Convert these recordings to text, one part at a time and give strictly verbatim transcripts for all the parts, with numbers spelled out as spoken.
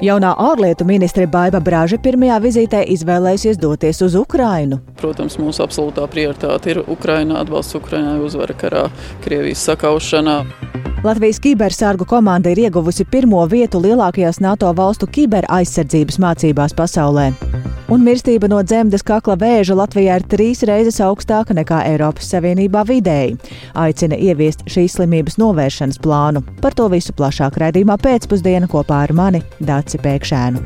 Jaunā ārlietu ministre Baiba Braže pirmajā vizītē izvēlējusies doties uz Ukrainu. Protams, mūsu absolūtā prioritāte ir Ukraina, atbalsts Ukrainai uzvara karā, Krievijas sakaušanā. Latvijas kibersargu komanda ir ieguvusi pirmo vietu lielākajās NATO valstu kiberaizsardzības mācībās pasaulē. Un mirstība no dzemdes kakla vēža Latvijā ir trīs reizes augstāka nekā Eiropas Savienībā vidēji. Aicina ieviest šīs slimības novēršanas plānu. Par to visu plašāk raidījumā pēcpusdiena kopā ar mani Daci Pēkšēnu.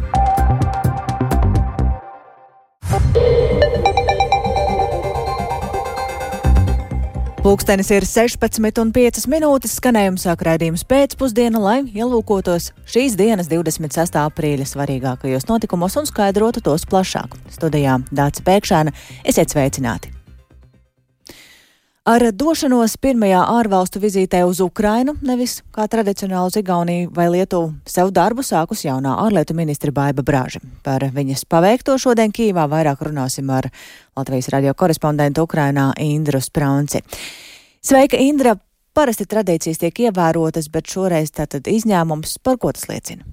Pulkstenis ir sešpadsmit un piecas minūtes, skanējums sāk raidījums pēcpusdiena, lai ielūkotos šīs dienas divdesmit sestā aprīļa svarīgākajos notikumos un skaidrotu tos plašāk. Studijā Daci Pēkšēna, esiet sveicināti! Ar došanos pirmajā ārvalstu vizītē uz Ukrainu, nevis kā tradicionāli uz Igauniju vai Lietuvu, sev darbu sākus jaunā ārlietu ministre Baiba Braže. Par viņas paveikto šodien Kīvā vairāk runāsim ar Latvijas radio korespondentu Ukrainā Indru Spraunci. Sveika, Indra! Parasti tradīcijas tiek ievērotas, bet šoreiz tātad izņēmums. Par ko tas liecina?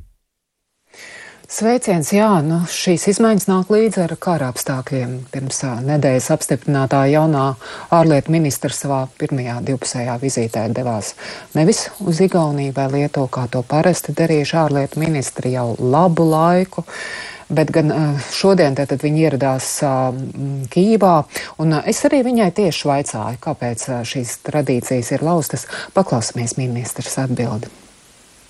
Sveiciens, jā, nu šīs izmaiņas nāk līdzi ar kara apstākļiem. Pirms nedēļas apstiprinātā jaunā ārlietu ministra savā pirmajā divpusējā vizītē devās nevis uz Igauniju vai Lietuvu, kā to parasti darījuši ārlietu ministri jau labu laiku, bet gan šodien tātad viņi ieradās Kīvā, un es arī viņai tieši vaicāju, kāpēc šīs tradīcijas ir laustas. Paklausāmies ministras atbildi.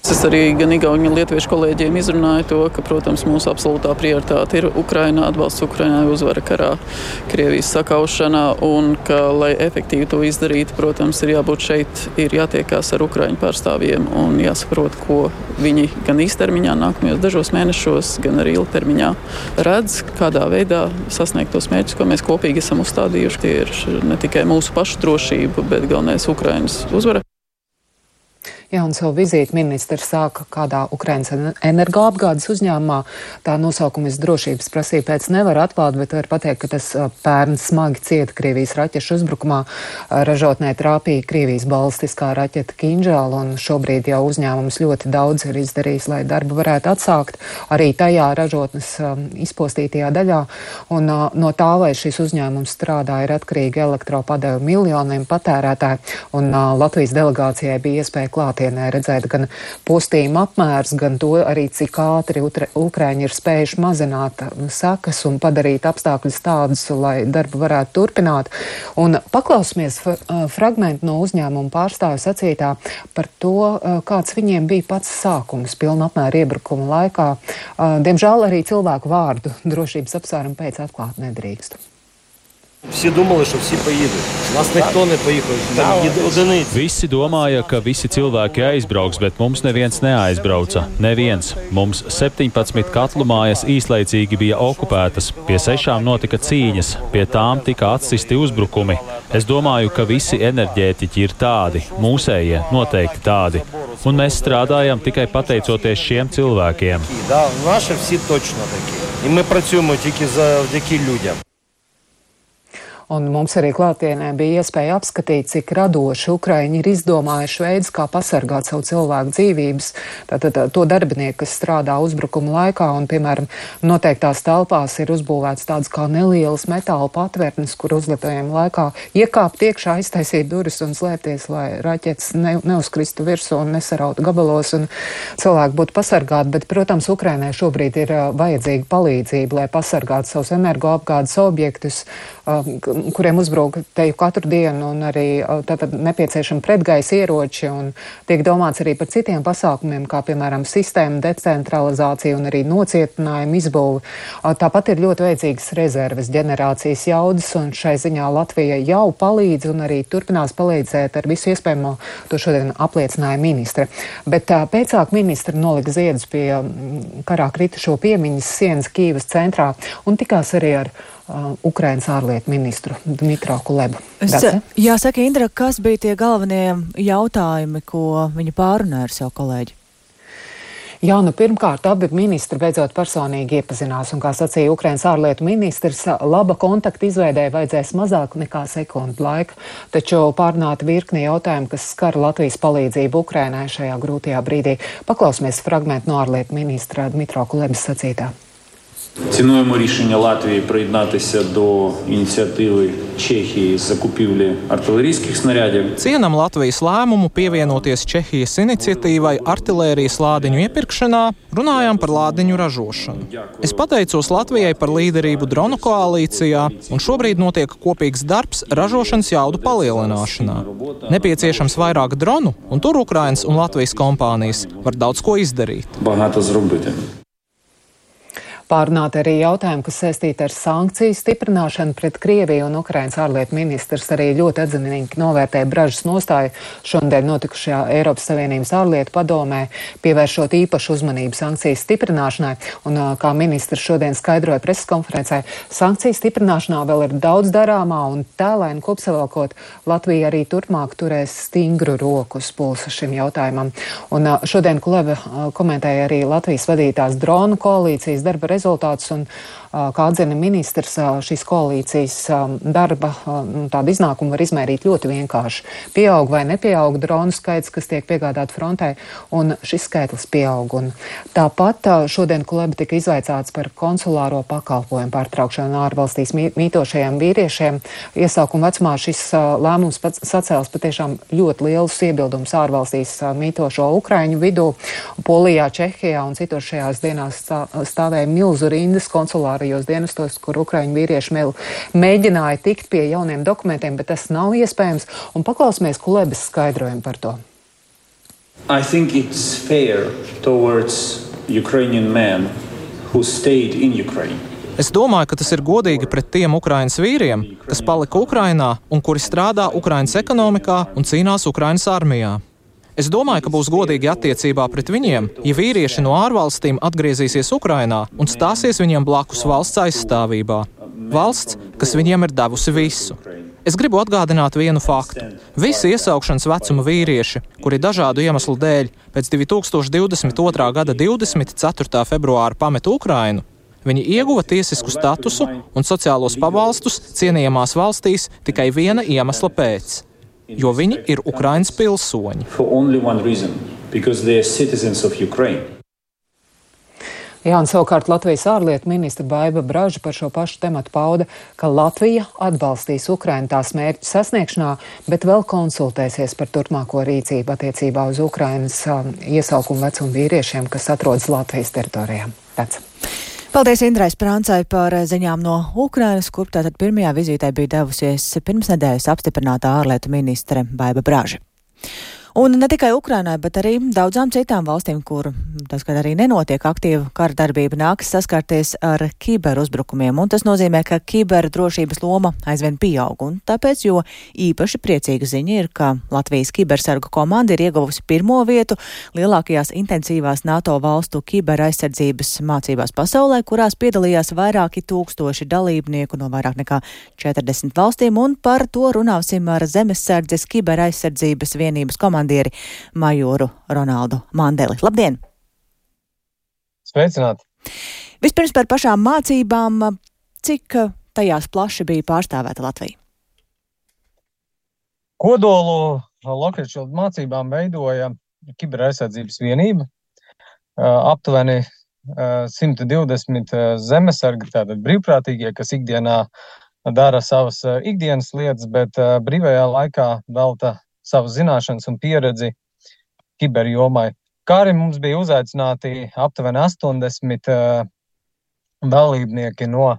Es arī gan igauņu, gan lietuviešu kolēģiem izrunāju to, ka, protams, mūsu absolūtā prioritāte ir Ukraina, atbalsts Ukrainai uzvara karā, Krievijas sakaušanā, un ka, lai efektīvi to izdarītu, protams, ir jābūt šeit, ir jātiekās ar ukraiņu pārstāvjiem un jāsaprot, ko viņi gan īstermiņā nākamajos dažos mēnešos, gan arī ilgtermiņā redz, kādā veidā sasniegt tos mērķus, ko mēs kopīgi esam uzstādījuši. Tie ir ne tikai mūsu pašu drošība, bet galvenais Ukrainas uzvara. Jā, un savu vizīti ministrs sāka kādā Ukrainas energoapgādes uzņēmumā. Tā nosaukuma drošības prasība pēc nevar atklāt, bet var pateikt, ka tas pērn smagi cieta Krievijas raķešu uzbrukumā. Ražotnē trāpīja Krievijas balistiskā raķeta Kinžāla, un šobrīd jau uzņēmums ļoti daudz ir izdarījis, lai darbu varētu atsākt arī tajā ražotnes izpostītajā daļā. Un no tā, vai šis uzņēmums strādā, ir atkarīgi elektropadevu miljoniem patērētāju, un Latvijas delegācijai bija iespēja klāt redzēt gan postījuma apmērs, gan to arī, cik ātri Ukraiņi ir spējuši mazināt sakas un padarīt apstākļus tādus, lai darbu varētu turpināt. Un paklausāmies fragmentu no uzņēmuma pārstāvja sacītā par to, kāds viņiem bija pats sākums pilna apmēra iebrukuma laikā. Diemžēl arī cilvēku vārdu drošības apsvērumu pēc atklāt nedrīkst. Visi domāja, ka visi поїдуть. Нас ніхто не поїхав. Одиниці. Visi domāja, ka visi cilvēki aizbrauks, bet mums neviens neaizbrauca. Neviens. Mums septiņpadsmit katlu mājas īslaicīgi bija okupētas. Pie sešām notika cīņas. Pie tām tika atsisti uzbrukumi. Es domāju, ka visi enerģētiķi ir tādi. Mūsējie noteikti tādi. Un mēs strādājam tikai pateicoties šiem cilvēkiem. Да, наші всі точно такі. І ми працюємо тільки завдяки людям. Un mums arī klātienē bija iespēja apskatīt, cik radoši Ukraiņi ir izdomājuši veidus, kā pasargāt savu cilvēku dzīvības. Tātad to darbinieku, kas strādā uzbrukuma laikā, un, piemēram, noteiktās telpās ir uzbūvēts tādas kā nelielas metāla patvērtnes, kur uzlitojuma laikā iekāpt iekšā, aiztaisīt durvis un slēpties, lai raķetes ne, neuzkristu virsū un nesarautu gabalos, un cilvēki būtu pasargāti. Bet, protams, Ukrainai šobrīd ir uh, vajadzīga palīdzība, lai pasargātu savus energoapgādes objektus, uh, kuriem uzbruk teju katru dienu, un arī tātad nepieciešami pretgaisa ieroči, un tiek domāts arī par citiem pasākumiem, kā piemēram sistēma decentralizācija un arī nocietinājuma izbūve. Tāpat ir ļoti vajadzīgas rezerves ģenerācijas jaudas, un šai ziņā Latvija jau palīdz un arī turpinās palīdzēt ar visu iespējamo. To šodien apliecināja ministre. Bet pēcāk ministra nolika ziedus pie karā kritušo piemiņas sienas Kīvas centrā un tikās arī ar Uh, Ukrainas ārlietu ministru Dmitro Kulebu. Jāsaka, Indra, kas bija tie galvenie jautājumi, ko viņa pārunāja ar savu kolēģi? Jā, nu pirmkārt, abi ministri beidzot personīgi iepazinās, un, kā sacīja Ukrainas ārlietu ministrs, laba kontakta izveidē vajadzēs mazāk nekā sekundu laika, taču pārnāta virkni jautājumu, kas skar Latvijas palīdzību Ukrainai šajā grūtajā brīdī. Paklausīsimies fragmentu no ārlietu ministra Dmitro Kulebas sacītā. Цінуємо рішення Латвії приєднатися до ініціативи Чехії з закупівлі артилерійських снарядів. Cienam Latvijas lēmumu pievienoties Čehijas iniciatīvai artilērijas lādiņu iepirkšanā, runājām par lādiņu ražošanu. Es pateicos Latvijai par līderību dronu koalīcijā, un šobrīd notiek kopīgs darbs ražošanas jaudu palielināšanā. Nepieciešams vairāk dronu, un tur Ukrainas un Latvijas kompānijas var daudz ko izdarīt. Багато зробити. Pārunāti arī jautājumi, kas saistīti ar sankciju stiprināšanu pret Krieviju, un Ukrainas ārlietu ministrs arī ļoti atzinīgi novērtēja Bražas nostāju šodien notikušajā Eiropas Savienības ārlietu padomē, pievēršot īpašu uzmanību sankciju stiprināšanai. Un, kā ministrs šodien skaidroja preses konferencē, sankciju stiprināšanā vēl ir daudz darāmā, un tēlēni kopsavilkot, Latvija arī turpmāk turēs stingru roku uz pulsa šim jautājumam. Un šodien Kuleba komentēja arī Latvijas vadītās dronu koalīcijas darba rezultātus, un, kā atzina ministrs, šīs koalīcijas darba tādu iznākumu var izmērīt ļoti vienkārši. Pieaug vai nepieaug dronu skaits, kas tiek piegādāti frontē, un šis skaitlis pieaug. Un tāpat šodien Kuleba tika izvaicāts par konsulāro pakalpojumu pārtraukšanu ārvalstīs mītošajiem vīriešiem. Iesaukuma vecumā šis lēmums pats sacēls patiešām ļoti lielus iebildumus ārvalstīs mītošo Ukraiņu vidū. Polijā, Čehijā un citos šajās dienās stāvēja milzu rindas konsulārajos dienestos, kur Ukraiņu vīrieši mēģināja tikt pie jauniem dokumentiem, bet tas nav iespējams. Un paklausīsimies Kulebas skaidrojumu par to. I think it's fair towards Ukrainian men who stayed in Ukraine. Es domāju, ka tas ir godīgi pret tiem Ukrainas vīriem, kas palika Ukrainā un kuri strādā Ukrainas ekonomikā un cīnās Ukrainas armijā. Es domāju, ka būs godīgi attiecībā pret viņiem, ja vīrieši no ārvalstīm atgriezīsies Ukrainā un stāsies viņiem blakus valsts aizstāvībā. Valsts, kas viņiem ir devusi visu. Es gribu atgādināt vienu faktu. Visi iesaukšanas vecuma vīrieši, kuri dažādu iemeslu dēļ pēc divi tūkstoši divdesmit otrā gada divdesmit ceturtā februāra pameta Ukrainu, viņi ieguva tiesisku statusu un sociālos pabalstus cienījamās valstīs tikai viena iemesla pēc. Jo viņi ir Ukrainas pilsoņi. Jā, un savukārt Latvijas ārlietu ministra Baiba Braža par šo pašu tematu pauda, ka Latvija atbalstīs Ukrainu tās mērķu sasniegšanā, bet vēl konsultēsies par turpmāko rīcību attiecībā uz Ukrainas um, iesaukumu vecumu vīriešiem, kas atrodas Latvijas teritorijā. Pēc. Paldies Indrai Sprāncai par ziņām no Ukrainas, kur tātad pirmajā vizītē bija devusies pirms nedēļas apstiprinātā ārlietu ministre Baiba Braža. Un ne tikai Ukrainai, bet arī daudzām citām valstīm, kur tas, kad arī nenotiek aktīva kara darbība, nākas saskarties ar kiberuzbrukumiem. Un tas nozīmē, ka kiberdrošības loma aizvien pieaug. Un tāpēc, jo īpaši priecīga ziņa ir, ka Latvijas kibersargu komanda ir ieguvusi pirmo vietu lielākajās intensīvās NATO valstu kiberaizsardzības mācībās pasaulē, kurās piedalījās vairāki tūkstoši dalībnieku no vairāk nekā četrdesmit valstīm. Un par to runāsim ar Zemesardzes kiberaizsardzības vienības komandieri majoru Ronaldu Mandeli. Labdien! Sveicināti! Vispirms par pašām mācībām, cik tajās plaši bija pārstāvēta Latvija? Kodolu Lockheed mācībām veidoja kiberaizsardzības vienība. Aptuveni simt divdesmit zemesargi, tātad brīvprātīgie, kas ikdienā dara savas ikdienas lietas, bet brīvajā laikā velta savu zināšanas un pieredzi kiberjomai. Kā arī mums bija uzaicināti aptuveni astoņdesmit uh, dalībnieki no uh,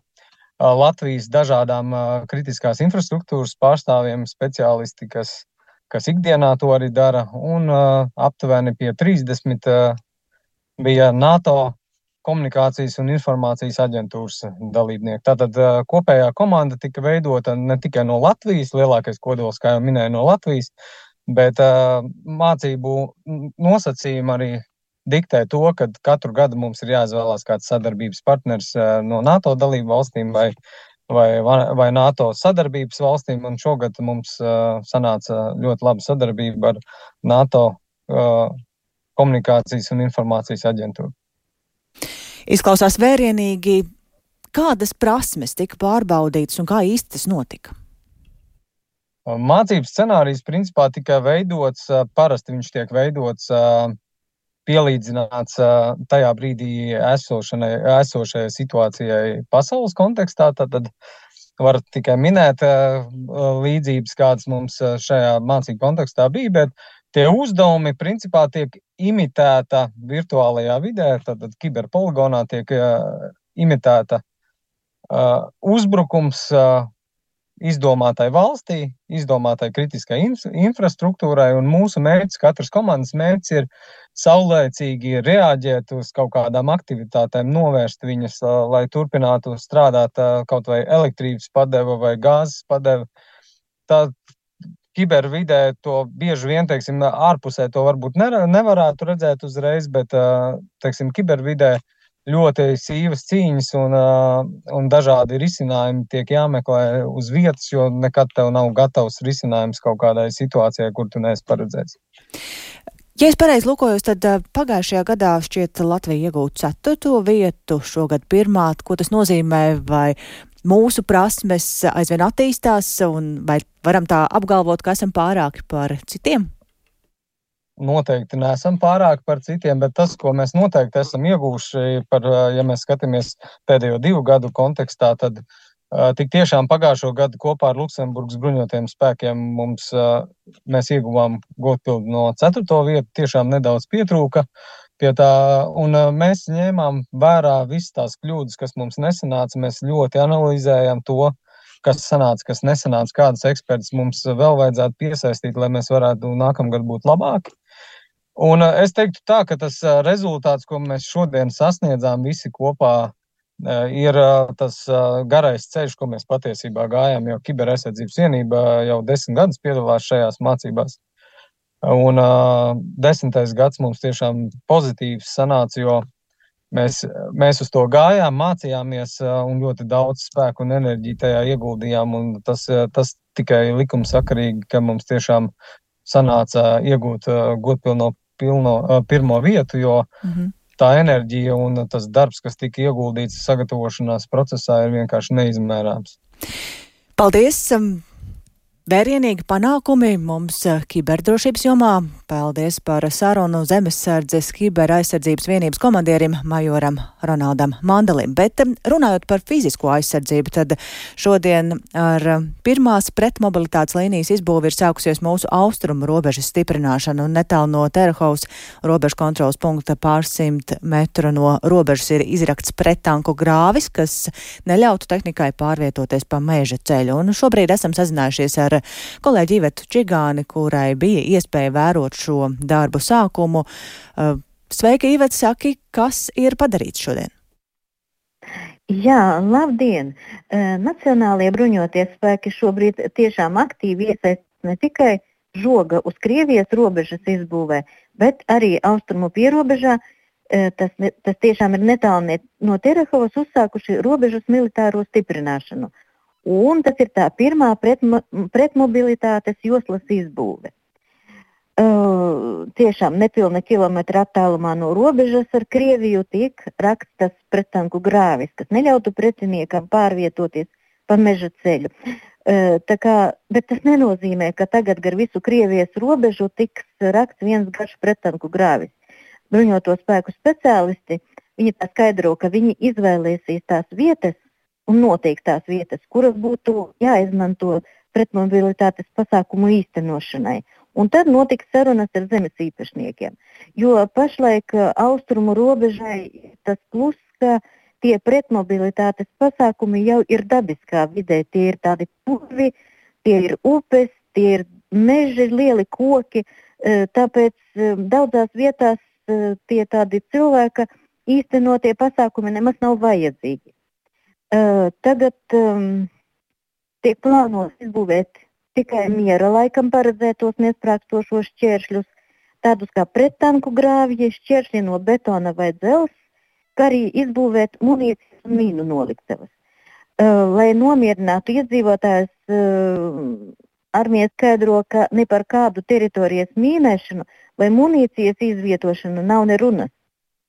Latvijas dažādām uh, kritiskās infrastruktūras pārstāvjiem, speciālisti, kas, kas ikdienā to arī dara, un uh, aptuveni pie trīsdesmit uh, bija NATO komunikācijas un informācijas aģentūras dalībnieki. Tātad uh, kopējā komanda tika veidota ne tikai no Latvijas, lielākais kodols, kā jau minēju, no Latvijas, bet uh, mācību nosacījumi arī diktē to, ka katru gadu mums ir jāizvēlās kāds sadarbības partners uh, no NATO dalību valstīm vai, vai, vai NATO sadarbības valstīm, un šogad mums uh, sanāca ļoti laba sadarbība ar NATO uh, komunikācijas un informācijas aģentūra. Izklausās vērienīgi. Kādas prasmes tika pārbaudītas un kā īsti tas notika? Mācības scenārijs principā tika veidots, parasti viņš tiek veidots pielīdzināts tajā brīdī esošanai, esošajai situācijai pasaules kontekstā, tad var tikai minēt līdzības, kādas mums šajā mācību kontekstā bija, bet tie uzdevumi principā tiek imitēta virtuālajā vidē, tad kiberpoligonā tiek imitēta uh, uzbrukums uh, izdomātai valstī, izdomātai kritiskai inf- infrastruktūrai, un mūsu mērķis, katras komandas mērķis ir saulēcīgi reaģēt uz kaut kādām aktivitātēm, novērst viņas, uh, lai turpinātu strādāt uh, kaut vai elektrības padeva vai gāzes padeva. Tā kibervidē to bieži vien, teiksim, ārpusē to varbūt nevarētu redzēt uzreiz, bet, teiksim, kibervidē ļoti sīvas cīņas un, un dažādi risinājumi tiek jāmeklē uz vietas, jo nekad tev nav gatavs risinājums kaut kādai situācijai, kur tu neesi paredzējis. Ja es pareizi lūkojos, tad pagājušajā gadā šķiet Latvija iegūt ceturto vietu, šogad pirmā. Ko tas nozīmē, vai mūsu prasmes aizvien attīstās, un vai varam tā apgalvot, ka esam pārāki par citiem? Noteikti neesam pārāki par citiem, bet tas, ko mēs noteikti esam ieguvuši, par, ja mēs skatāmies pēdējo divu gadu kontekstā, tad uh, tik tiešām pagājušo gadu kopā ar Luksemburgas bruņotajiem spēkiem mums, uh, mēs ieguvām godpildu no ceturto vietu, tiešām nedaudz pietrūka pie tā, un uh, mēs ņēmām vērā visas tās kļūdas, kas mums nesanāca, mēs ļoti analizējām to, kas sanāca, kas nesanāca, kādas ekspertus mums vēl vajadzētu piesaistīt, lai mēs varētu nākamgad būt labāki. Un es teiktu tā, ka tas rezultāts, ko mēs šodien sasniedzām visi kopā, ir tas garais ceļš, ko mēs patiesībā gājām, jo Kiberaizsardzības vienība jau desmit gadus piedalās šajās mācībās. Un desmitais gads mums tiešām pozitīvs sanāca, jo mēs, mēs uz to gājām, mācījāmies un ļoti daudz spēku un enerģiju tajā ieguldījām. Un tas, tas tikai likumsakarīgi, ka mums tiešām sanāca iegūt godpilno pilno, pirmo vietu, jo mm-hmm. tā enerģija un tas darbs, kas tika ieguldīts sagatavošanās procesā, ir vienkārši neizmērāms. Paldies! Vērienīgi panākumi mums kiberdrošības jomā. Paldies par sarunu Zemesardzes kiberaizsardzības vienības komandierim majoram Ronaldam Mandalim. Bet runājot par fizisko aizsardzību, tad šodien ar pirmās pretmobilitātes līnijas izbūvi ir sākusies mūsu austrumu robežas stiprināšana, un netālu no Terahovas robežu kontrolas punkta pārsimt metru no robežas ir izrakts prettanku grāvis, kas neļautu tehnikai pārvietoties pa meža ceļu. Un šobrīd esam sazinājušies ar kolēģi Ivetu Čigāni, kurai bija iespēja vērot šo darbu sākumu. Sveika, Iveta, saki, kas ir padarīts šodien? Jā, labdien! Nacionālie bruņotie spēki šobrīd tiešām aktīvi iesaist ne tikai žoga uz Krievijas robežas izbūvē, bet arī austrumu pierobežā. Tas, tas tiešām ir netālu no Terahovas uzsākuši robežas militāro stiprināšanu. Un tas ir tā pirmā pretmo, pretmobilitātes joslas izbūve. Uh, tiešām nepilna kilometra attālumā no robežas ar Krieviju tiek rakstas prettanku grāvis, kas neļautu pretiniekam pārvietoties pa meža ceļu. Uh, tā kā, bet tas nenozīmē, ka tagad gar visu Krievijas robežu tiks raksts viens garš prettanku grāvis. Bruņoto spēku speciālisti, viņi tā skaidro, ka viņi izvēlēsīs tās vietas, un noteikti tās vietas, kuras būtu jāizmanto pretmobilitātes pasākumu īstenošanai. Un tad notiks sarunas ar zemes īpašniekiem. Jo pašlaik austrumu robežai tas plus, ka tie pretmobilitātes pasākumi jau ir dabiskā vidē. Tie ir tādi purvi, tie ir upes, tie ir meži, lieli koki. Tāpēc daudzās vietās tie tādi cilvēka īstenotie pasākumi nemaz nav vajadzīgi. Uh, tagad um, tiek plānos izbūvēt tikai miera laikam paredzētos nesprākstošos šķēršļus, tādus kā prettanku grāvji, šķēršļi no betona vai dzels, kā arī izbūvēt munīcijas un mīnu noliktavas. Uh, lai nomierinātu iedzīvotājus, uh, armija skaidro, ka ne par kādu teritorijas mīnēšanu vai munīcijas izvietošanu nav ne runas.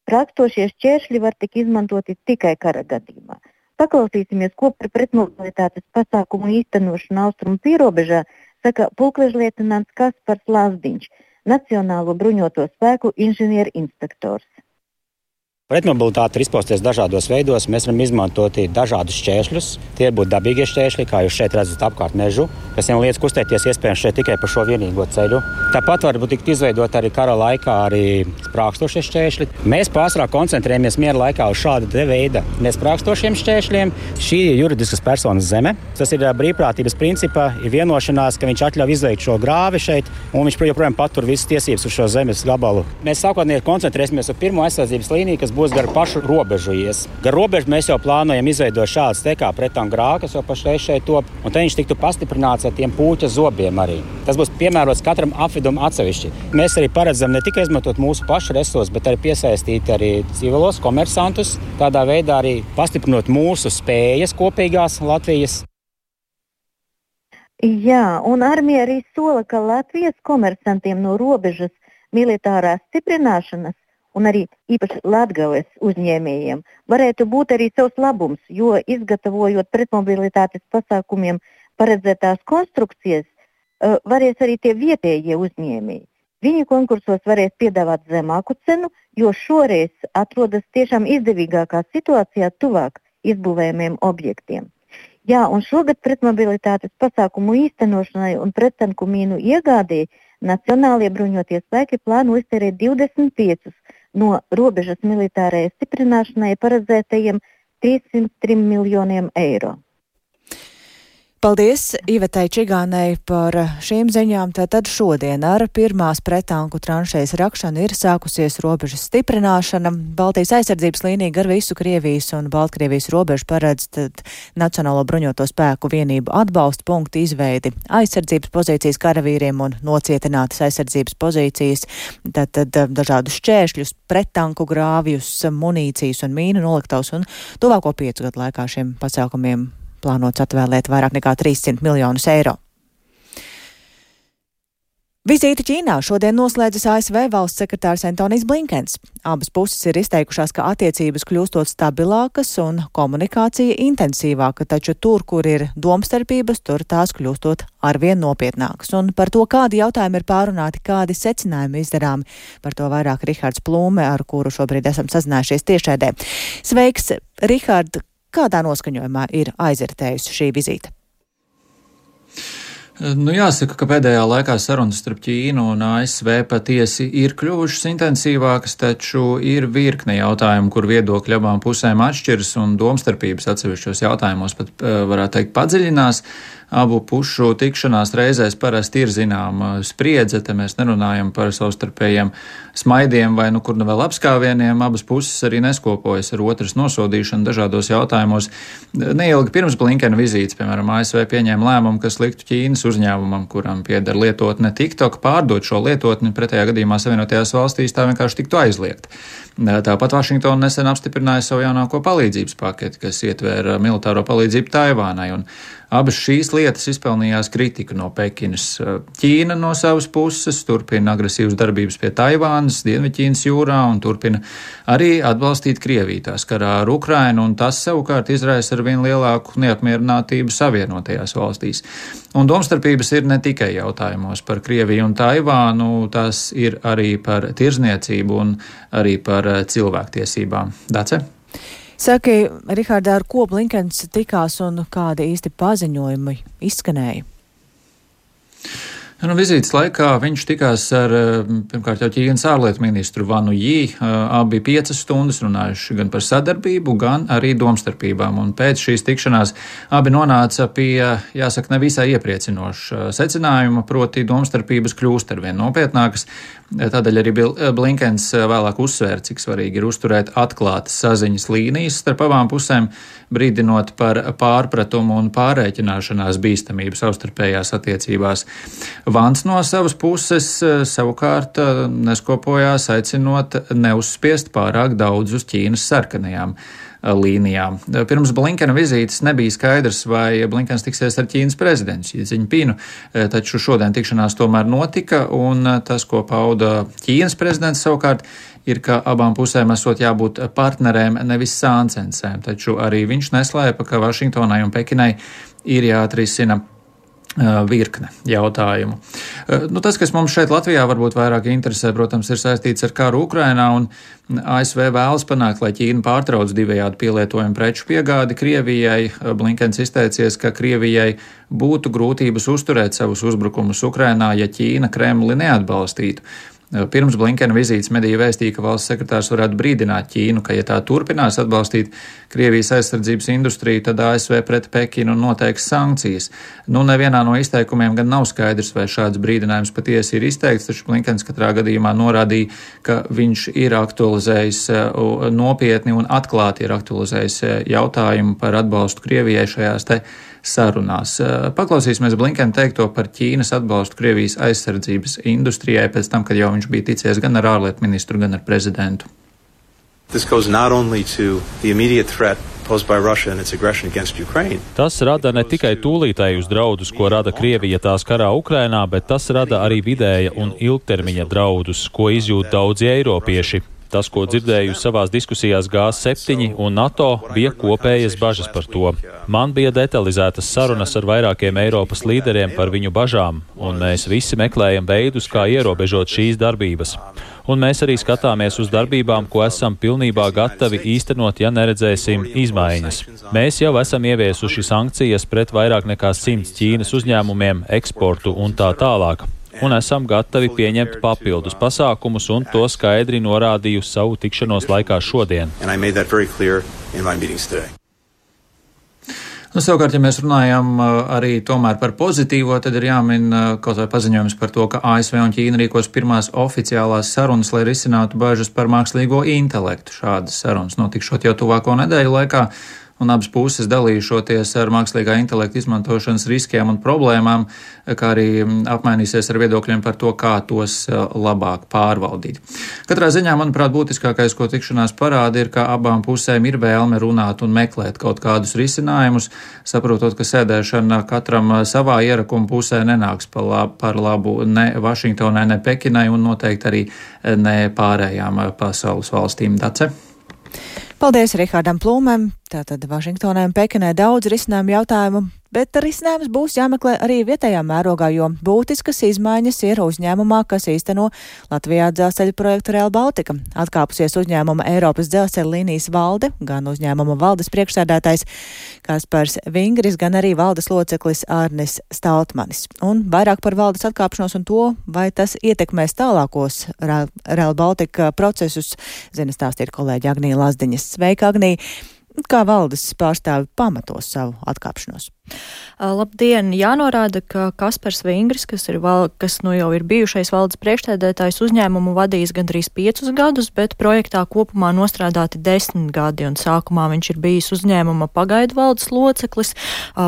Sprākstošie šķēršļi var tik izmantoti tikai kara gadījumā. Paklausīsimies, ko par pretmobilitātes pasākumu īstenošanu austrumu pierobežā saka pulkvežlietnants Kaspars Lazdiņš, Nacionālo bruņoto spēku inženieru inspektors. Pretmobilitāte ir izpausties dažādos veidos. Mēs varam izmantot dažādus šķēršļus. Tie būtu dabīgie šķēršļi, kā jūs šeit redzat apkārt mežu, kas vien lietas kustēties iespējams šeit tikai pa šo vienīgo ceļu. Tāpat var būt tikt izveidot arī kara laikā arī sprākstošie šķēršļi. Mēs pārsvarā koncentrējamies miera laikā uz šāda te veida nesprākstošiem šķēršļiem. Šī ir juridiskas personas zeme. Tas ir brīvprātības principā ir vienošanās, ka viņš atļauj izveikt šo grāvi šeit, un viņš joprojām patur visas tiesības uz šo zemes gabalu. Mēs sākotnēji koncentrēsimies uz pirmo aizsardzības līniju, kas būs gar pašu robežu ies. Gar robežu mēs jau plānojam izveidot šādas te kā pretanku grāvi, kas jau pašreiz šeit top, un te viņš tiktu pastiprināts ar tiem pūķa zobiem arī. Tas būs piemērots katram apvidum atsevišķi. Mēs arī paredzam ne tikai izmantot mūsu pašu resursus, bet arī piesaistīt arī civilos komersantus, tādā veidā arī pastiprinot mūsu spējas kopīgās Latvijas. Jā, un armija arī sola, ka Latvijas komersantiem no robežas militārās stiprināšanas un arī īpaši Latgales uzņēmējiem varētu būt arī savs labums, jo izgatavojot pretmobilitātes pasākumiem paredzētās konstrukcijas, varēs arī tie vietējie uzņēmēji. Viņi konkursos varēs piedāvāt zemāku cenu, jo šoreiz atrodas tiešām izdevīgākā situācijā tuvāk izbūvējumiem objektiem. Jā, un šogad pretmobilitātes pasākumu īstenošanai un prettanku mīnu iegādēji Nacionālie bruņotie spēki plāno iztērēt divdesmit piecus no robežas militārajai stiprināšanai paredzētajiem trīssimt trim miljoniem eiro. Paldies Ivetai Čigānei par šīm ziņām. Tātad šodien ar pirmās pretanku tranšejas rakšanu ir sākusies robežas stiprināšana. Baltijas aizsardzības līnija gar visu Krievijas un Baltkrievijas robežu paredz Nacionālo bruņoto spēku vienību atbalsta punktu izveidi, aizsardzības pozīcijas karavīriem un nocietinātas aizsardzības pozīcijas, tātad dažādus šķēršļus, pretanku grāvjus, munīcijas un mīnu noliktavus, un tuvāko piecu gadu laikā šiem pasākumiem plānots atvēlēt vairāk nekā trīssimt miljonus eiro. Vizīti Ķīnā šodien noslēdzas A S V valsts sekretārs Antonijs Blinkens. Abas puses ir izteikušās, ka attiecības kļūstot stabilākas un komunikācija intensīvāka, taču tur, kur ir domstarpības, tur tās kļūstot arvien nopietnākas. Un par to, kādi jautājumi ir pārunāti, kādi secinājumi izdarāmi, par to vairāk Rihards Plūme, ar kuru šobrīd esam sazinājušies tiešraidē. Sveiks, Rihard! Kādā noskaņojumā ir aizritējusi šī vizīte? Nu, jāsaka, ka pēdējā laikā sarunas starp Ķīnu un A S V patiesi ir kļuvušas intensīvākas, taču ir virkne jautājumu, kur viedokļi abām pusēm atšķiras un domstarpības atsevišķos jautājumos pat, varētu teikt, padziļinās. Abu pušu tikšanās reizēs parasti ir zināma spriedze, te mēs nerunājam par savstarpējiem smaidiem vai nu kur nu vēl apskāvieniem, abas puses arī neskopojas ar otras nosodīšanu dažādos jautājumos. Neilgi pirms Blinkena vizītes, piemēram, A S V pieņēma lēmumu, kas liktu Ķīnas uzņēmumam, kuram pieder lietotne TikTok, pārdot šo lietotni, pretējā gadījumā Savienotajās valstīs tā vienkārši tiktu aizliegt. Tāpat Vašingtona nesen apstiprināja savu jaunāko palīdzības paketi, kas ietvēra militāro palīdzību Taivānai, un abas šīs lietas izpelnījās kritiku no Pekinas. Ķīna no savas puses turpina agresīvas darbības pie Taivānas, Dienvidķīnas jūrā un turpina arī atbalstīt Krieviju tās karā ar Ukrainu, un tas savukārt izraisa ar vien lielāku neapmierinātību Savienotajās valstīs. Un domstarpības ir ne tikai jautājumos par Krieviju un Taivānu, tas ir arī par tirzniecību un arī par cilvēktiesībām. Dace? Saki, Rihardā, ar ko Blinkens tikās un kādi īsti paziņojumi izskanēja? Nu, vizītes laikā viņš tikās ar, pirmkārt, jau Ķīnas ārlietu ministru Vanu Jī, abi piecas stundas runājuši gan par sadarbību, gan arī domstarpībām, un pēc šīs tikšanās abi nonāca pie, jāsaka, nevisai iepriecinoša secinājuma, proti domstarpības kļūst arvien nopietnākas. Tādēļ arī Blinkens vēlāk uzsvēra, cik svarīgi ir uzturēt atklātas saziņas līnijas starp abām pusēm, brīdinot par pārpratumu un pārēķināšanās bīstamību savstarpējās attiecībās. Vans no savas puses savukārt neskopojās, aicinot neuzspiest pārāk daudz uz Ķīnas sarkanajām. līnijā. Pirms Blinkena vizītes nebija skaidrs, vai Blinkens tiksies ar Ķīnas prezidentu Xi Jinpingu, taču šodien tikšanās tomēr notika, un tas, ko pauda Ķīnas prezidents savukārt, ir, ka abām pusēm esot jābūt partnerēm, nevis sāncensēm, taču arī viņš neslēpa, ka Vašingtonai un Pekinai ir jāatrisina virkne jautājumu. Nu, tas, kas mums šeit Latvijā varbūt vairāk interesē, protams, ir saistīts ar karu Ukrainā, un A S V vēlas panākt, lai Ķīna pārtrauc divējādi pielietojumu preču piegādi Krievijai. Blinkens izteicies, ka Krievijai būtu grūtības uzturēt savus uzbrukumus Ukrainā, ja Ķīna Kremli neatbalstītu. Pirms Blinkena vizītes mediji vēstīja, ka valsts sekretārs varētu brīdināt Ķīnu, ka, ja tā turpinās atbalstīt Krievijas aizsardzības industriju, tad A S V pret Pekinu noteiks sankcijas. Nu, nevienā no izteikumiem gan nav skaidrs, vai šāds brīdinājums patiesi ir izteikts, taču Blinkens katrā gadījumā norādīja, ka viņš ir aktualizējis nopietni un atklāti ir aktualizējis jautājumu par atbalstu Krievijai šajās te sarunās. Paklausīsimies Blinkena teikto par Ķīnas atbalstu Krievijas aizsardzības industrijai pēc tam, kad jau viņš bija ticies gan ar ārlietu ministru, gan ar prezidentu. Tas rada ne tikai tūlītējus draudus, ko rada Krievija tās karā Ukrainā, bet tas rada arī vidēja un ilgtermiņa draudus, ko izjūt daudzi eiropieši. Tas, ko dzirdēju savās diskusijās G septiņi un NATO, bija kopējas bažas par to. Man bija detalizētas sarunas ar vairākiem Eiropas līderiem par viņu bažām, un mēs visi meklējam veidus, kā ierobežot šīs darbības. Un mēs arī skatāmies uz darbībām, ko esam pilnībā gatavi īstenot, ja neredzēsim izmaiņas. Mēs jau esam ieviesuši sankcijas pret vairāk nekā simts Ķīnas uzņēmumiem, eksportu un tā tālāk. Un esam gatavi pieņemt papildus pasākumus, un to skaidri norādīju savu tikšanos laikā šodien. Nu, savukārt, ja mēs runājam arī tomēr par pozitīvo, tad ir jāmin kaut vai paziņojums par to, ka A S V un Ķīna rīkos pirmās oficiālās sarunas, lai risinātu bažas par mākslīgo intelektu. Šādas sarunas notikšot jau tuvāko nedēļu laikā, un abas puses dalīšoties ar mākslīgā intelekta izmantošanas riskiem un problēmām, kā arī apmainīsies ar viedokļiem par to, kā tos labāk pārvaldīt. Katrā ziņā, manuprāt, būtiskākais, ko tikšanās parāda, ir, ka abām pusēm ir vēlme runāt un meklēt kaut kādus risinājumus, saprotot, ka sēdēšana katram savā ierakuma pusē nenāks par labu ne Vašingtonai, ne Pekinai un noteikti arī ne pārējām pasaules valstīm. Dace? Paldies Rihardam Plūmēm. Tātad Vašingtonai un Pekinai daudz risinājumu jautājumu, bet risinājums būs jāmeklē arī vietējā mērogā, jo būtiskas izmaiņas ir uzņēmumā, kas īsteno Latvijā dzelzceļa projektu Rail Baltica. Atkāpusies uzņēmuma Eiropas dzelzceļa līnijas valde, gan uzņēmuma valdes priekšsēdētājs Kaspars Vingris, gan arī valdes loceklis Arnis Staltmanis. Un vairāk par valdes atkāpšanos un to, vai tas ietekmēs tālākos Rail Baltica procesus, zina stāstīt kolēģi Agnija Lazdiņas. Sveika, Agnija! Kā valdes pārstāvi pamatos savu atkāpšanos? Labdien! Jānorāda, ka Kaspars Vingris, kas, ir val, kas nu jau ir bijušais valdes priekšsēdētājs, uzņēmumu vadījis gandrīz piecus gadus, bet projektā kopumā nostrādāti desmit gadi, un sākumā viņš ir bijis uzņēmuma pagaidu valdes loceklis.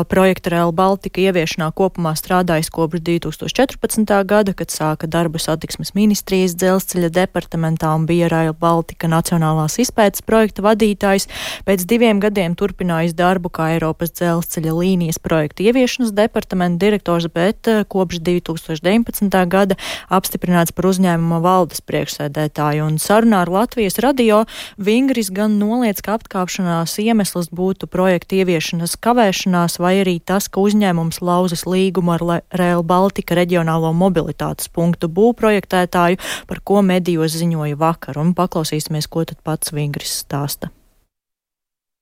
Projekta Rail Baltica ieviešanā kopumā strādājis kopš divi tūkstoši četrpadsmitā gada, kad sāka darbu satiksmes ministrijas dzelzceļa departamentā un bija Rail Baltica nacionālās izpētes projekta vadītājs. Pēc diviem gadiem turpinājis darbu kā Eiropas dzelzceļa līnijas projektu ieviešanas departamenta direktors, bet kopš divi tūkstoši deviņpadsmitā gada apstiprināts par uzņēmuma valdes priekšsēdētāju. Un sarunā ar Latvijas radio Vingris gan noliec, ka apkāpšanās iemesls būtu projektu ieviešanas kavēšanās, vai arī tas, ka uzņēmums lauzas līgumu ar Rail Baltica reģionālo mobilitātes punktu būvprojektētāju, par ko medijos ziņoja vakar. Un paklausīsimies, ko tad pats Vingris stāsta.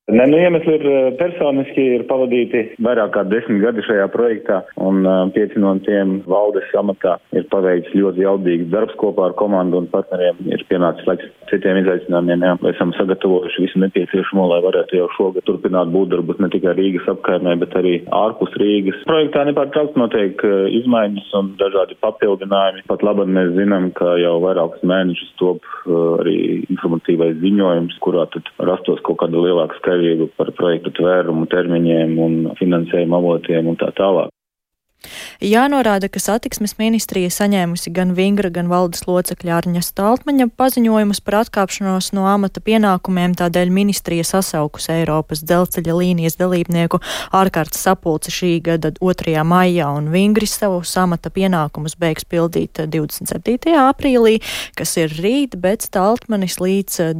Ne, nu, iemesli ir personiski, ir pavadīti vairāk kā desmit gadi šajā projektā, un pieci no tiem valdes amatā ir paveikts ļoti jaudīgs darbs kopā ar komandu un partneriem. Ir pienācis laiks citiem izaicinājumiem, jā. Esam sagatavojuši visu nepieciešamo, lai varētu jau šogad turpināt būvdarbus ne tikai Rīgas apkaimē, bet arī ārpus Rīgas. Projektā nepārtraukti notiek izmaiņas un dažādi papildinājumi. Pat labāk mēs zinām, ka jau vairākus mēnešus top arī informatīvais ziņojums, kurā tad rastos kaut kāda lielāka skaidrība par projektu tvērumu, termiņiem un finansējuma avotiem un tā tālāk. Jānorāda, ka satiksmes ministrija saņēmusi gan Vingra, gan valdes locekļa Arņa Staltmaņa paziņojumus par atkāpšanos no amata pienākumiem, tādēļ ministrija sasaukusi Eiropas dzelzceļa līnijas dalībnieku ārkārtas sapulci šī gada otrajā maijā, un Vingris savu amata pienākumus beigs pildīt divdesmit septītajā aprīlī, kas ir rīt, bet Staltmanis līdz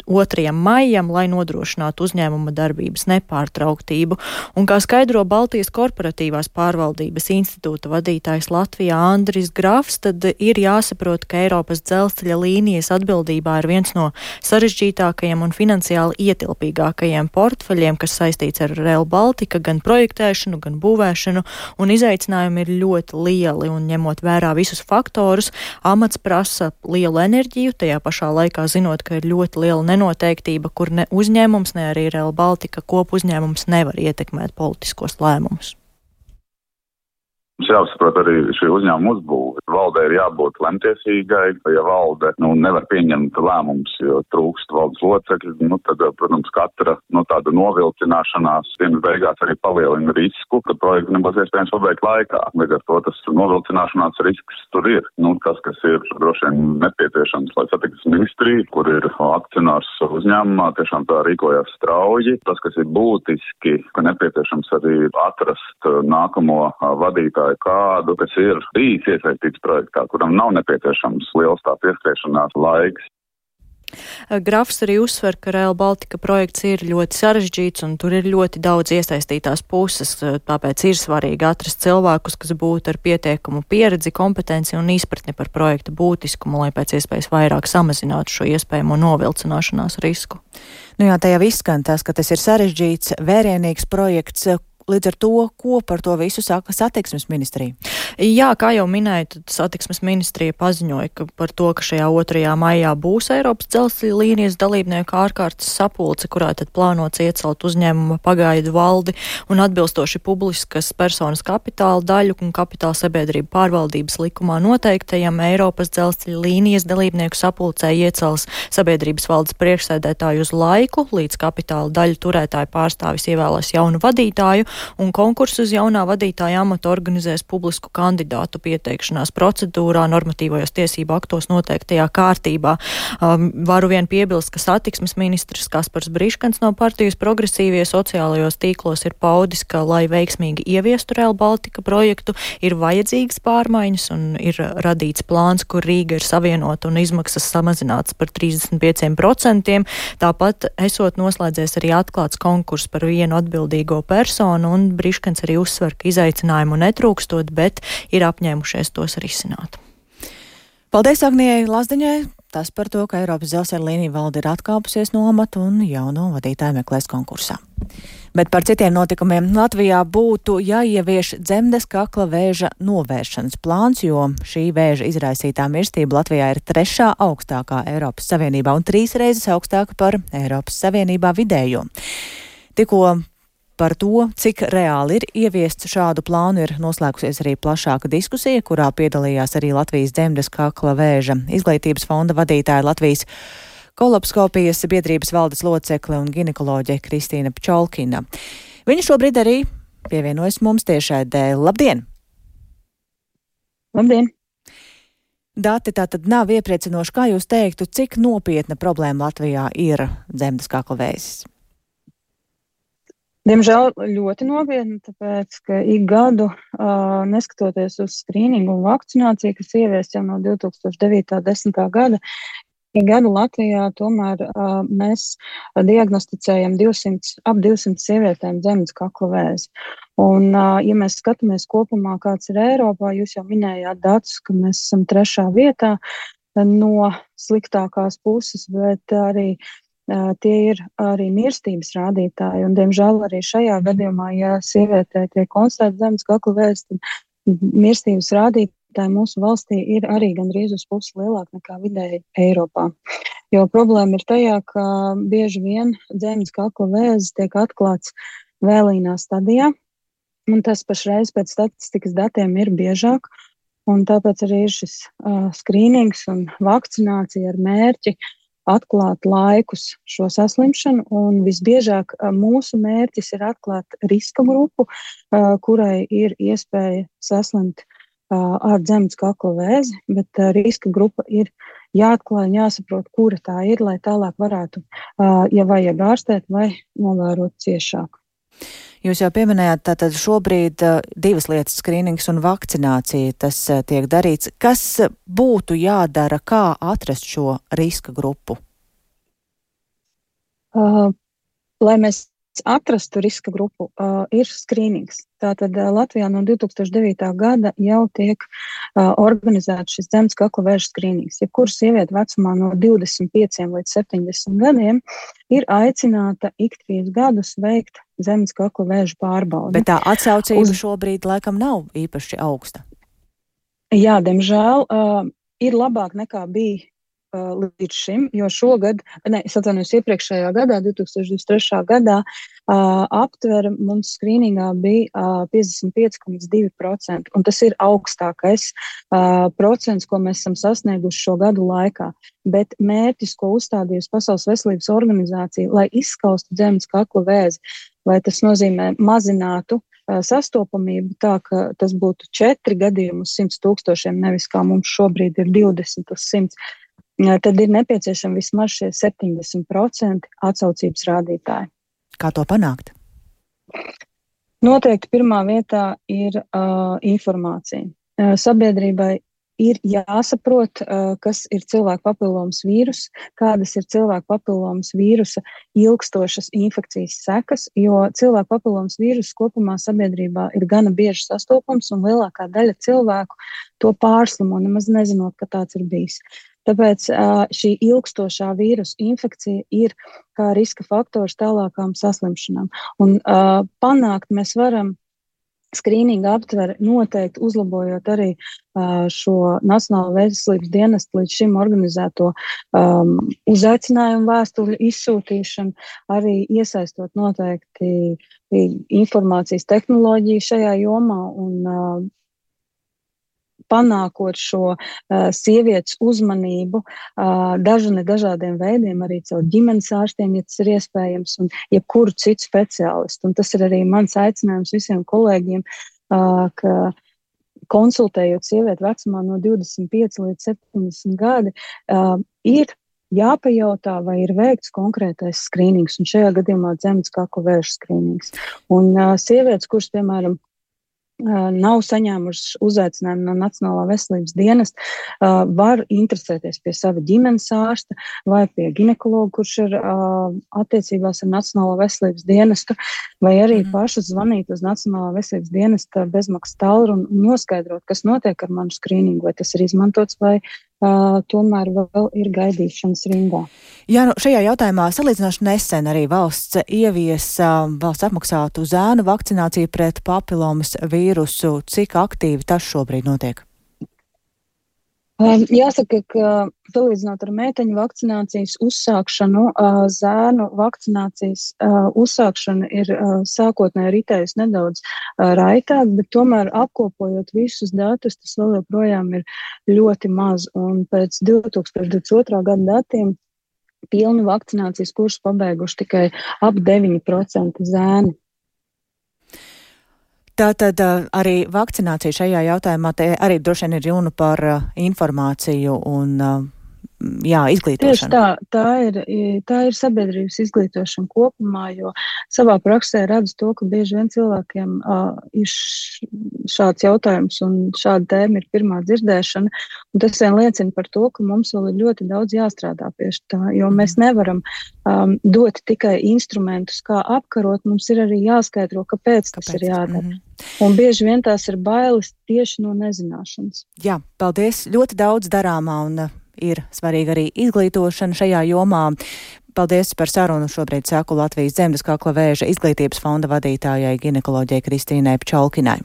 otrajam maijam, lai nodrošinātu uzņēmuma darbības nepārtrauktību. Un kā skaidro Baltijas korporatīvās pārvaldības institūta vadītājs Latvijā Andris Grafs, tad ir jāsaprot, ka Eiropas dzelzceļa līnijas atbildībā ir viens no sarežģītākajiem un finansiāli ietilpīgākajiem portfeļiem, kas saistīts ar Rail Baltica, gan projektēšanu, gan būvēšanu, un izaicinājumi ir ļoti lieli, un ņemot vērā visus faktorus, amats prasa lielu enerģiju, tajā pašā laikā zinot, ka ir ļoti liela nenoteiktība, kur ne uzņēmums, ne arī Rail Baltica kopu uzņēmums nevar ietekmēt politiskos lēmumus. Mums jāsaprot arī šī uzņēmuma uzbūve. Valdē ir jābūt lemtiesīgai, ja valde nu, nevar pieņemt lēmumus, jo trūkst valdes locekļi, nu, tad, protams, katra nu, tāda novilcināšanās dienas beigās arī palielina risku, ka projektu nebūs iespējams pabeigt laikā. Līdz ar to tas novilcināšanās risks tur ir. Nu, tas, kas ir droši vien nepieciešams, lai satiksmes ministrija, kur ir akcionārs uzņēmumā, tiešām tā rīkojās strauji. Tas, kas ir būtiski, ka nepieciešams arī atrast nākamo vadītāju kādu, kas ir bijis iesaistīts projektā, kuram nav nepieciešams liels tā pieskriešanās laiks. Grafs arī uzsver, ka Rail Baltica projekts ir ļoti sarežģīts un tur ir ļoti daudz iesaistītās puses, tāpēc ir svarīgi atrast cilvēkus, kas būtu ar pietiekumu pieredzi, kompetenci un izpratni par projekta būtiskumu, lai pēc iespējas vairāk samazinātu šo iespējamo novilcināšanās risku. Nu jā, tajā izskan tas, ka tas ir sarežģīts, vērienīgs projekts. Līdz ar to, ko par to visu saka satiksmes ministrija? Jā, kā jau minēju, tad satiksmes ministrija paziņoja ka par to, ka šajā otrajā maijā būs Eiropas dzelzceļa līnijas dalībnieku ārkārtas sapulce, kurā tad plānots iecelt uzņēmuma pagaidu valdi un atbilstoši publiskas personas kapitāla daļu un kapitāla sabiedrību pārvaldības likumā noteiktajam Eiropas dzelzceļa līnijas dalībnieku sapulcē iecels sabiedrības valdes priekšsēdētāju uz laiku, līdz kapitāla daļu turētāju pārstāvis ievēlēs jaunu vadītāju, un konkursu uz jaunā vadītāja amata organizēs publisku kandidātu pieteikšanās procedūrā, normatīvajos tiesību aktos noteiktajā kārtībā. Um, varu vien piebilst, ka satiksmes ministrs Kaspars Briškans no partijas Progresīvie sociālajos tīklos ir paudis, ka, lai veiksmīgi ieviestu Rail Baltica projektu, ir vajadzīgas pārmaiņas un ir radīts plāns, kur Rīga ir savienota un izmaksas samazināts par trīsdesmit pieciem procentiem. Tāpat esot noslēdzies arī atklāts konkurss par vienu atbildīgo personu, un Briškans arī uzsver, ka izaicinājumu netrūkstot, bet ir apņēmušies tos risināt. Paldies Agnijai Lazdiņai. Tas par to, ka Eiropas dzelzceļa līnija valde ir atkāpusies no amata un jauno vadītāju meklēs konkursā. Bet par citiem notikumiem Latvijā būtu jāievieš dzemdes kakla vēža novēršanas plāns, jo šī vēža izraisītā mirstība Latvijā ir trešā augstākā Eiropas Savienībā un trīs reizes augstāka par Eiropas Savienībā vidējo. Tikko par to, cik reāli ir ieviests šādu plānu, ir noslēgusies arī plašāka diskusija, kurā piedalījās arī Latvijas dzemdes kakla vēža izglītības fonda vadītāja, Latvijas kolapskopijas biedrības valdes locekle un ginekoloģe Kristīna Pčolkina. Viņa šobrīd arī pievienojas mums tiešraidē. Labdien! Labdien! Dati tātad nav iepriecinoši. Kā jūs teiktu, cik nopietna problēma Latvijā ir dzemdes kakla vēzis? Diemžēl ļoti nopietni, tāpēc, ka ik gadu, uh, neskatoties uz skrīningu un vakcināciju, kas ieviest jau no divi tūkstoši devītā un desmitā gada, ik gadu Latvijā tomēr uh, mēs diagnosticējam divsimt, ap divsimt sievietēm dzemdes kakla vēzi. Un, uh, ja mēs skatāmies kopumā, kāds ir Eiropā, jūs jau minējāt datus, ka mēs esam trešā vietā no sliktākās puses, bet arī Uh, tie ir arī mirstības rādītāji, un, diemžēl, arī šajā gadījumā, ja sievietē tiek konstatēta dzemdes kakla vēzis, tad mirstības rādītāji mūsu valstī ir arī gandrīz uz pusi lielāk nekā vidēji Eiropā. Jo problēma ir tajā, ka bieži vien dzemdes kakla vēzis tiek atklāts vēlīnā stadijā, un tas pašreiz pēc statistikas datiem ir biežāk, un tāpēc arī ir šis uh, skrīnings un vakcinācija ar mērķi atklāt laikus šo saslimšanu, un visbiežāk mūsu mērķis ir atklāt riska grupu, kurai ir iespēja saslimt ar dzemes kakla vēzi, bet riska grupa ir jāatklāj un jāsaprot, kura tā ir, lai tālāk varētu, ja vajag ārstēt vai novērot ciešāk. Jūs jau pieminējāt, tātad šobrīd uh, divas lietas - skrīnings un vakcinācija, tas uh, tiek darīts. Kas būtu jādara, kā atrast šo riska grupu? Uh, lai mēs atrastu riska grupu, uh, ir skrīnings. Tātad uh, Latvijā no divi tūkstoši devītā gada jau tiek uh, organizēts šis dzemes kakla vēža skrīnings. Jebkura sieviete vecumā no divdesmit pieciem līdz septiņdesmit gadiem ir aicināta ik trīs gadus veikt dzemes kakla vēža pārbaudi. Bet tā atsaucība Uz... šobrīd laikam nav īpaši augsta. Jā, diemžēl uh, ir labāk nekā bija līdz šim, jo šogad, ne, es atvainojos iepriekšējā gadā, divi tūkstoši divdesmit trešā gadā, uh, aptvere mums skrīningā bija uh, piecdesmit pieci komats divi procenti, un tas ir augstākais uh, procents, ko mēs esam sasnieguši šo gadu laikā. Bet mērķis, ko uzstādījusi Pasaules veselības organizācija, lai izskaustu dzemes kakla vēzi, lai tas nozīmē mazinātu uh, sastopamību tā, ka tas būtu četri gadījumi uz simts tūkstošiem, nevis kā mums šobrīd ir divdesmit uz simts. Tad ir nepieciešami vismaz šie septiņdesmit procenti atsaucības rādītāji. Kā to panākt? Noteikti pirmā vietā ir uh, informācija. Uh, sabiedrībai ir jāsaprot, uh, kas ir cilvēku papilomas vīrus, kādas ir cilvēku papilomas vīrusa ilgstošas infekcijas sekas, jo cilvēku papilomas vīrus kopumā sabiedrībā ir gana bieži sastopams, un lielākā daļa cilvēku to pārslimo, nemaz nezinot, ka tāds ir bijis. Tāpēc šī ilgstošā vīrusu infekcija ir kā riska faktors tālākām saslimšanām. Un uh, panākt mēs varam skrīninga aptveri noteikti uzlabojot arī uh, šo Nacionālo veselības dienestu līdz šim organizēto um, uzaicinājumu vēstuļu izsūtīšanu, arī iesaistot noteikti informācijas tehnoloģiju šajā jomā un uh, panākot šo uh, sievietes uzmanību uh, dažani dažādiem veidiem, arī caur ģimenes ārstiem, ja tas ir iespējams, un jebkuru citu speciālistu. Un tas ir arī mans aicinājums visiem kolēģiem, uh, ka konsultējot sievieti vecumā no divdesmit pieci līdz septiņdesmit gadi, uh, ir jāpajautā, vai ir veikts konkrētais skrīnings, un šajā gadījumā dzemes kakla vēža skrīnings. Un uh, sievietes, kuras, piemēram, nav saņēmuši uzaicinājumu no Nacionālā veselības dienesta, uh, var interesēties pie sava ģimenes ārsta vai pie ginekologa, kurš ir uh, attiecībās ar Nacionālo veselības dienestu, vai arī mm. pašas zvanīt uz Nacionālā veselības dienesta bezmaksas tālruni un noskaidrot, kas notiek ar manu skrīningu, vai tas ir izmantots vai Uh, tomēr vēl ir gaidīšanas rindā. Jā, nu šajā jautājumā salīdzinoši nesen arī valsts ievies uh, valsts apmaksātu zēnu vakcināciju pret papilomas vīrusu. Cik aktīvi tas šobrīd notiek? Um, jāsaka, ka salīdzinot ar meiteņu vakcinācijas uzsākšanu, uh, zēnu vakcinācijas uh, uzsākšana ir uh, sākotnēji ritējusi nedaudz uh, raitāk, bet tomēr apkopojot visus datus, tas vēl joprojām ir ļoti maz. Un pēc divi tūkstoši divdesmit otrā gada datiem pilnu vakcinācijas kursu pabeiguši tikai ap deviņi procenti zēni. Tātad arī vakcinācija šajā jautājumā, te arī droši vien ir runa par uh, informāciju un uh, jā, izglītošanu. Tieši tā, tā ir, tā ir sabiedrības izglītošana kopumā, jo savā praksē redzu to, ka bieži vien cilvēkiem uh, ir šāds jautājums un šāda tēma ir pirmā dzirdēšana, un tas vien liecina par to, ka mums vēl ir ļoti daudz jāstrādā pie tā, jo mēs nevaram um, dot tikai instrumentus, kā apkarot, mums ir arī jāskaidro, kāpēc, kāpēc? Tas ir jādara. Mm-hmm. Un bieži vien tās ir bailes tieši no nezināšanas. Jā, paldies. Ļoti daudz darāmā un uh, ir svarīga arī izglītošana šajā jomā. Paldies par sarunu. Šobrīd saku Latvijas Dzemes kakla vēža izglītības fonda vadītājai ginekoloģijai Kristīnai Pčolkinai.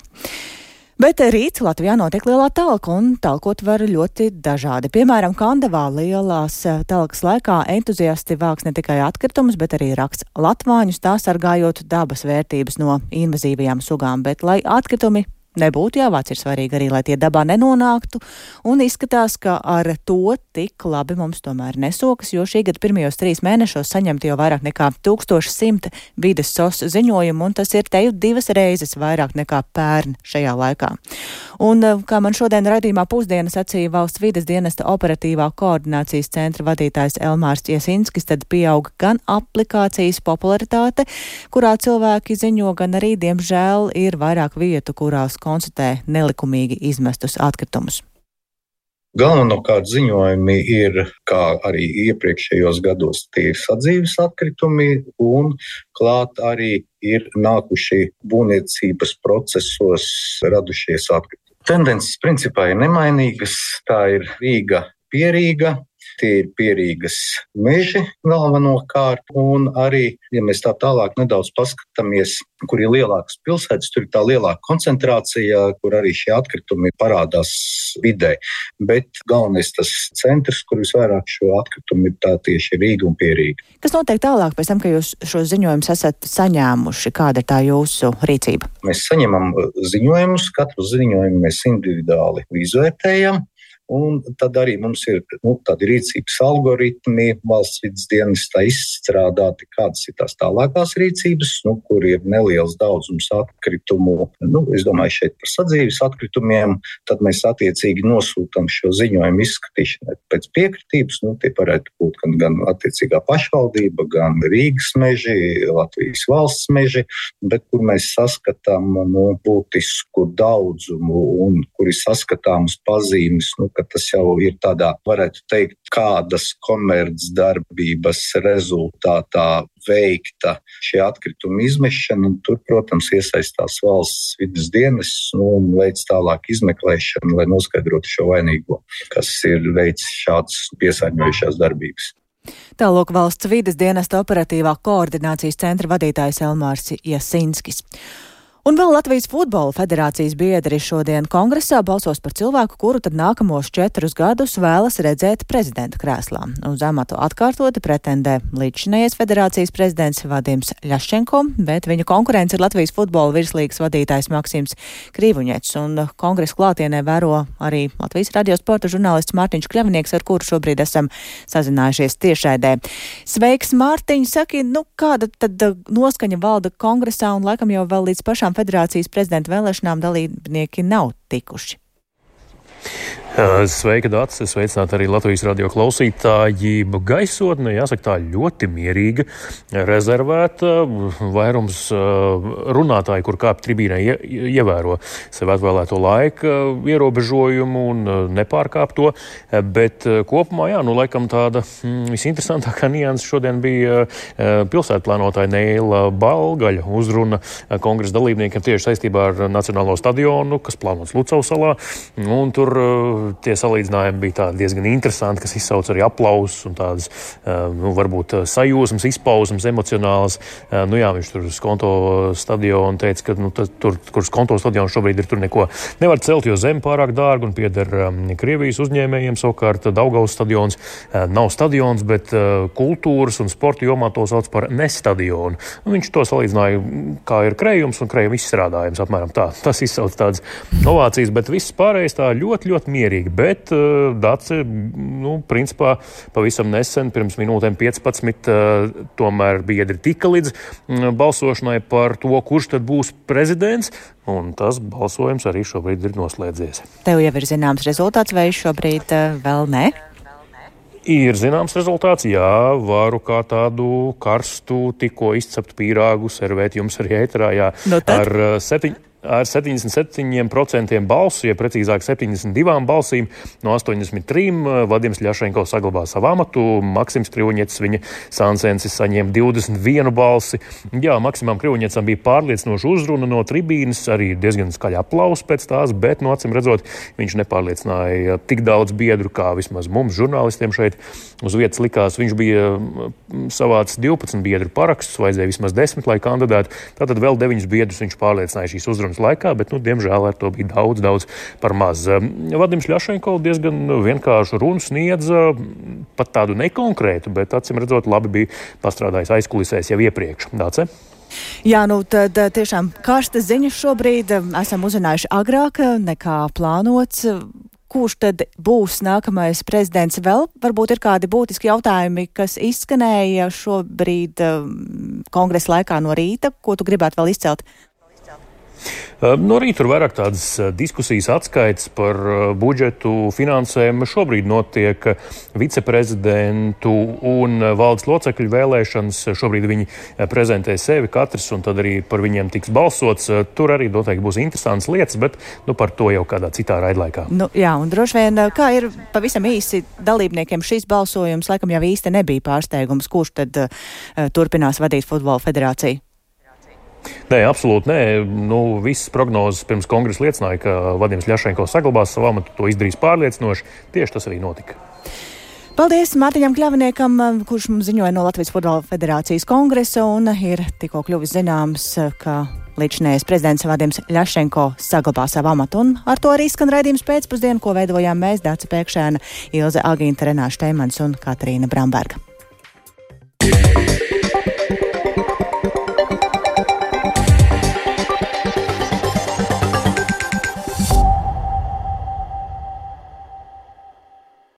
Bet rīt Latvijā notiek lielā talka, un talkot var ļoti dažādi. Piemēram, Kandavā lielās talkas laikā entuziasti vāks ne tikai atkritumus, bet arī raksts latvāņus, tā sargājot dabas vērtības no invazīvajām sugām. Bet, lai atkritumi nebūtu jāvāc, ir svarīgi arī, lai tie dabā nenonāktu, un izskatās, ka ar to tik labi mums tomēr nesokas, jo šī gada pirmajos trīs mēnešos saņemt jau vairāk nekā tūkstoš simt vides sos ziņojumu, un tas ir teju divas reizes vairāk nekā pērn šajā laikā. Un, kā man šodien raidījumā pusdienas sacīja valsts vides dienesta operatīvā koordinācijas centra vadītājs Elmārs Iesinskis, tad pieauga gan aplikācijas popularitāte, kurā cilvēki ziņo, gan arī, diemžēl, ir vairāk vietu, kurās konstatē nelikumīgi izmestus atkritumus. Galvenokārt ziņojumi ir, kā arī iepriekšējos gados, tie ir sadzīves atkritumi un klāt arī ir nākuši būvniecības procesos radušies atkritumi. Tendences principā ir nemainīgas, tā ir Rīga, Pierīga. Tie ir Pierīgas meži galvenokārt, un arī, ja mēs tā tālāk nedaudz paskatāmies, kur ir lielākas pilsētas, tur ir tā lielāka koncentrācija, kur arī šie atkritumi parādās vidē. Bet galvenais tas centrs, kur visvairāk šo atkritumu ir tā tieši Rīga un Pierīga. Kas notiek tālāk pēc tam, ka jūs šos ziņojumus esat saņēmuši? Kāda ir tā jūsu rīcība? Mēs saņemam ziņojumus, katru ziņojumu mēs individuāli izvērtējam. Un tad arī mums ir nu, tādi rīcības algoritmi, valsts vides dienestā izstrādāti, kādas ir tās tālākās rīcības, nu, kur ir neliels daudzums atkritumu. Nu, es domāju šeit par sadzīves atkritumiem, tad mēs attiecīgi nosūtam šo ziņojumu izskatīšanai pēc piekritības. Nu, tie varētu būt gan, gan attiecīgā pašvaldība, gan Rīgas meži, Latvijas valsts meži, bet kur mēs saskatām nu, būtisku daudzumu un kur ir saskatāmas pazīmes, nu, ka tas jau ir tādā, varētu teikt, kādas komercdarbības rezultātā veikta šie atkritumi izmešana. Un tur, protams, iesaistās valsts vides dienests nu, un veids tālāk izmeklēšanu, lai noskaidrotu šo vainīgo, kas ir veids šāds piesārņojušās darbības. Tālāk valsts vides dienesta operatīvā koordinācijas centra vadītājs Elmārs Iesinskis. Un vēl Latvijas futbola federācijas biedri šodien kongresā balsos par cilvēku, kuru tad nākamos četrus gadus vēlas redzēt prezidenta krēslā. Uz amatu atkārtoti pretendē līdzšinējais federācijas prezidents Vadims Ļaščenko, bet viņu konkurence ir Latvijas futbola virslīgas vadītājs Maksims Krīvuņets. Un kongresa klātienē vēro arī Latvijas radio sporta žurnālists Mārtiņš Kļavnieks, ar kuru šobrīd esam sazinājušies tiešraidē. Sveiks, Mārtiņ! Saki, nu kāda tad noskaņa valda kongresā un laikam jau vēl līdz pašām federācijas prezidenta vēlēšanām dalībnieki nav tikuši? Sveika, Dācis! Sveicināt arī Latvijas radio klausītāji. Gaisotne, jāsaka, tā ļoti mierīga, rezervēta. Vairums runātāji, kur kāp tribīnē, ievēro sev atvēlēto laika ierobežojumu un nepārkāp to. Bet kopumā, jā, nu, laikam tāda visinteresantākā nianse šodien bija pilsētplānotāja Neila Balgaļa uzruna kongresa dalībniekiem tieši saistībā ar Nacionālo stadionu, kas plānots Lucavas salā. Un tur tie salīdzinājumi bija tādi diezgan interesanti, kas izsauc arī aplausus un tādas, nu, varbūt sajūsmas, izpausmas, emocionālas. Nu jā, viņš tur Skonto stadionu teica, ka, nu, tur, kur Skonto stadionu šobrīd ir, tur neko nevar celt, jo zeme pārāk dārga un pieder Krievijas uzņēmējiem. Savukārt Daugavas stadions nav stadions, bet kultūras un sporta jomā to sauc par nestadionu. Un viņš to salīdzināja, kā ir krējums un krējuma izstrādājums, apmēram tā. Tas izsauc tādas ovācijas, bet viss pārējais tā ļoti, ļoti mierīgi. Bet uh, Dace, nu, principā pavisam nesen, pirms minūtēm piecpadsmit, uh, tomēr biedri tika līdz uh, balsošanai par to, kurš tad būs prezidents, un tas balsojums arī šobrīd ir noslēdzies. Tev jau ir zināms rezultāts, vai šobrīd uh, vēl ne? Ir zināms rezultāts, jā, varu kā tādu karstu, tikko izceptu pīrāgu servēt jums arī ēterā, jā, no ar uh, septiņ. Ar septiņdesmit septiņiem procentiem balsu, ja precīzāk septiņdesmit divām balsīm no astoņdesmit trim, Vadims Ļaščenko saglabā savu amatu, Maksims Krīvuņets, viņa sāncensis, saņēma divdesmit vienu balsi. Jā, Maksimam Krīvuņecam bija pārliecinoša uzruna no tribīnes, arī diezgan skaļa aplausa pēc tās, bet, no acīm redzot, viņš nepārliecināja tik daudz biedru, kā vismaz mums, žurnālistiem šeit uz vietas likās. Viņš bija savāds divpadsmit biedru parakstus, vajadzēja vismaz desmit, lai kandidētu. Tātad vēl deviņus biedrus viņš pārliecināja šīs uzrunas laikā, bet, nu, diemžēl ar to bija daudz, daudz par maz. Vadims Ļaščenko diezgan vienkāršu runu sniedza, pat tādu nekonkrētu, bet, acīm redzot, labi bija pastrādājis aizkulisēs jau iepriekš. Dāce? Jā, nu tad tiešām karstas ziņas šobrīd esam uzzinājuši agrāk nekā plānots. Kurš tad būs nākamais prezidents? Vēl varbūt ir kādi būtiski jautājumi, kas izskanēja šobrīd kongresa laikā no rīta, ko tu gribētu vēl izcelt? No rīta tur vairāk tādas diskusijas atskaites par budžetu finansējumu. Šobrīd notiek viceprezidentu un valdes locekļu vēlēšanas. Šobrīd viņi prezentē sevi katrs, un tad arī par viņiem tiks balsots. Tur arī noteikti būs interesantas lietas, bet nu, par to jau kādā citā raidlaikā. Nu, jā, un droši vien, kā ir pavisam īsi dalībniekiem šīs balsojums, laikam jau īsti nebija pārsteigums, kurš tad uh, turpinās vadīt futbola federāciju. Nē, absolūti nē. Nu, visas prognozes pirms kongresa liecināja, ka Vadims Ļašenko saglabās savu amatu, to izdarīs pārliecinoši. Tieši tas arī notika. Paldies Mārtiņam Kļavniekam, kurš mums ziņoja no Latvijas futbola federācijas kongresa, un ir tikko kļuvis zināms, ka līdzinējais prezidents Vadims Ļašenko saglabā savu amatu. Un ar to arī skan raidījums pēcpusdienu, ko veidojām mēs, Dāca Pēkšēna, Ilze Agīnta, Renāša Teimans un Katrīna Bramberga.